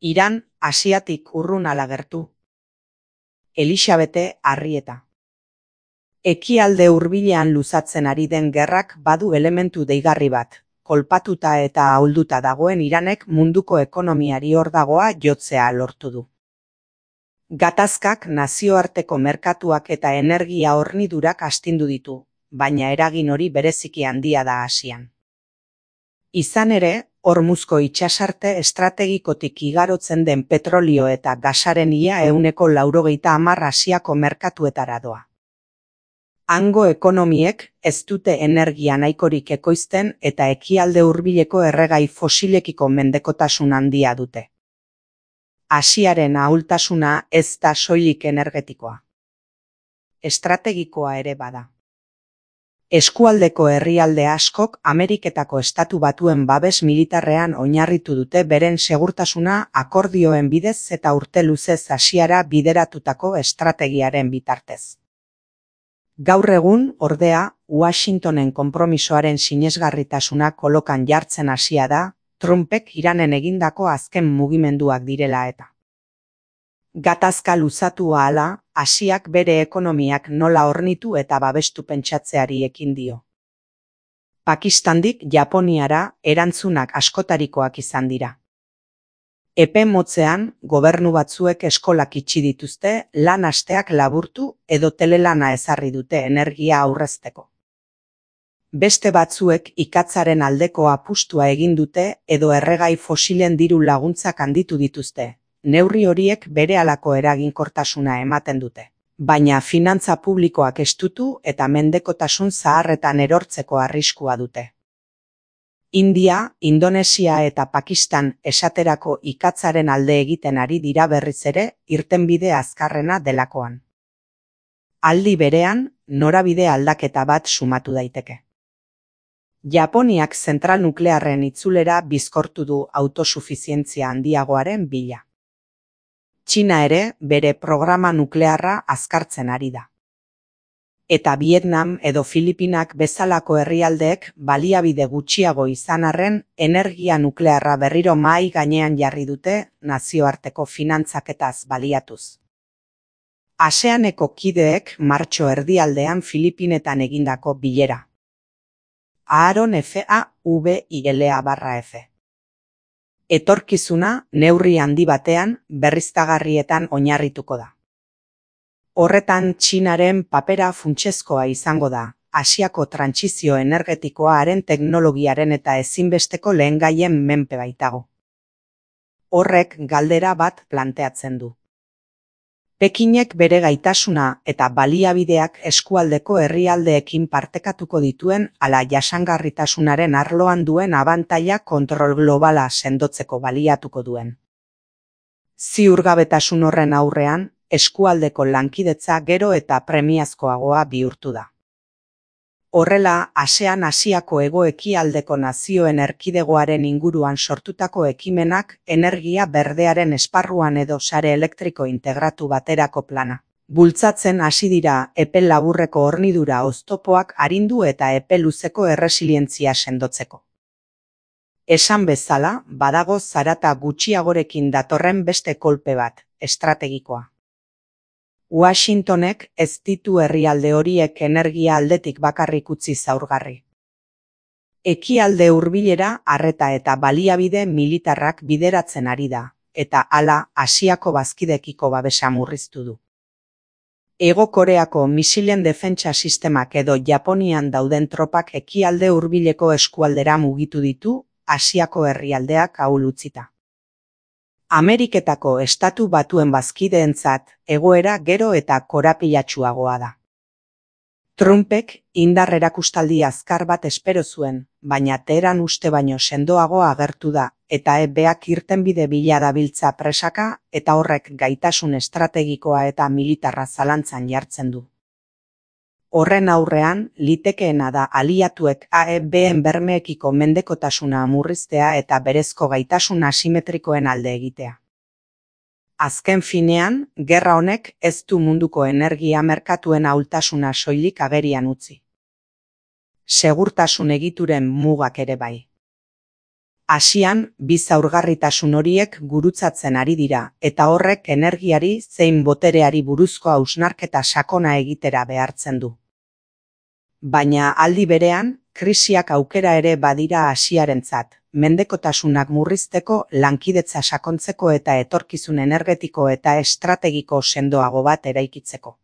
Iran Asiatik urrun ala gertu. Elisabete Arrieta. Ekialde hurbilean luzatzen ari den gerrak badu elementu deigarri bat. Kolpatuta eta ahulduta dagoen Iranek munduko ekonomiari hordagoa jotzea lortu du. Gatazkak nazioarteko merkatuak eta energia hornidurak astindu ditu, baina eragin hori bereziki handia da Asian. Izan ere, Hormuzko itsasarte estrategikotik igarotzen den petrolio eta gasaren ia 90% Asiako merkatuetara doa. Hango ekonomiek ez dute energia nahikorik ekoizten eta ekialde hurbileko erregai fosilekiko mendekotasun handia dute. Asiaren ahultasuna ez da soilik energetikoa. Estrategikoa ere bada. Eskualdeko herrialde askok Ameriketako Estatu Batuen babes militarrean oinarritu dute beren segurtasuna akordioen bidez eta urte luzez Asiara bideratutako estrategiaren bitartez. Gaur egun, ordea, Washingtonen konpromisoaren sinesgarritasuna kolokan jartzen hasia da, Trumpek Iranen egindako azken mugimenduak direla eta. Gatazka luzatu ahala, Asiak bere ekonomiak nola hornitu eta babestu pentsatzeari ekin dio. Pakistandik Japoniara erantzunak askotarikoak izan dira. Epe motzean, gobernu batzuek eskolak itxi dituzte, lan asteak laburtu edo telelana ezarri dute energia aurrezteko. Beste batzuek ikatzaren aldeko apustua egin dute edo erregai fosilen diru laguntzak handitu dituzte. Neurri horiek berehalako eraginkortasuna ematen dute, baina finantza publikoak estutu eta mendekotasun zaharretan erortzeko arriskua dute. India, Indonesia eta Pakistan esaterako ikatzaren alde egiten ari dira berriz ere irtenbide azkarrena delakoan. Aldi berean, norabide aldaketa bat sumatu daiteke. Japoniak zentral nuklearren itzulera bizkortu du autosufizientzia handiagoaren bila. Txina ere bere programa nuklearra azkartzen ari da. Eta Vietnam edo Filipinak bezalako herrialdeek baliabide gutxiago izan arren energia nuklearra berriro mahai gainean jarri dute nazioarteko finantzaketaz baliatuz. ASEANeko kideek martxo erdialdean Filipinetan egindako bilera. Aaron FAVILA/F. Etorkizuna neurri handi batean berriztagarrietan oinarrituko da. Horretan Txinaren papera funtsezkoa izango da, Asiako trantsizio energetikoa haren teknologiaren eta ezinbesteko lehengaien menpe baitago. Horrek galdera bat planteatzen du. Pekinek bere gaitasuna eta baliabideak eskualdeko herrialdeekin partekatuko dituen ala jasangarritasunaren arloan duen abantaila kontrol globala sendotzeko baliatuko duen. Ziurgabetasun horren aurrean, eskualdeko lankidetza gero eta premiazkoagoa bihurtu da. Horrela, ASEAN Asiako hego-ekialdeko nazioen erkidegoaren inguruan sortutako ekimenak energia berdearen esparruan edo sare elektriko integratu baterako plana. Bultzatzen hasi dira epe laburreko hornidura oztopoak arindu eta epe luzeko erresilientzia sendotzeko. Esan bezala, badago zarata gutxiagorekin datorren beste kolpe bat, estrategikoa. Washingtonek ez ditu herrialde horiek energia aldetik bakarrik utzi zaurgarri. Ekialde hurbilera arreta eta baliabide militarrak bideratzen ari da, eta hala Asiako bazkidekiko babesa murriztu du. Hego Koreako misilen defentsa sistemak edo Japonian dauden tropak ekialde hurbileko eskualdera mugitu ditu, Asiako herrialdeak ahul utzita. Ameriketako Estatu Batuen bazkideentzat egoera gero eta korapilatsuagoa da. Trumpek indar erakustaldi azkar bat espero zuen, baina Teheran uste baino sendoago agertu da, eta EBak irtenbide bila dabiltza presaka eta horrek gaitasun estrategikoa eta militarra zalantzan jartzen du. Horren aurrean, litekeena da aliatuek AEBen bermeekiko mendekotasuna murriztea eta berezko gaitasun asimetrikoen alde egitea. Azken finean, gerra honek ez du munduko energia merkatuen ahultasuna soilik agerian utzi. Segurtasun egituren mugak ere bai. Asian, bi zaurgarritasun horiek gurutzatzen ari dira, eta horrek energiari zein botereari buruzko hausnarketa sakona egitera behartzen du. Baina aldi berean, krisiak aukera ere badira Asiarentzat, mendekotasunak murrizteko, lankidetza sakontzeko eta etorkizun energetiko eta estrategiko sendoago bat eraikitzeko.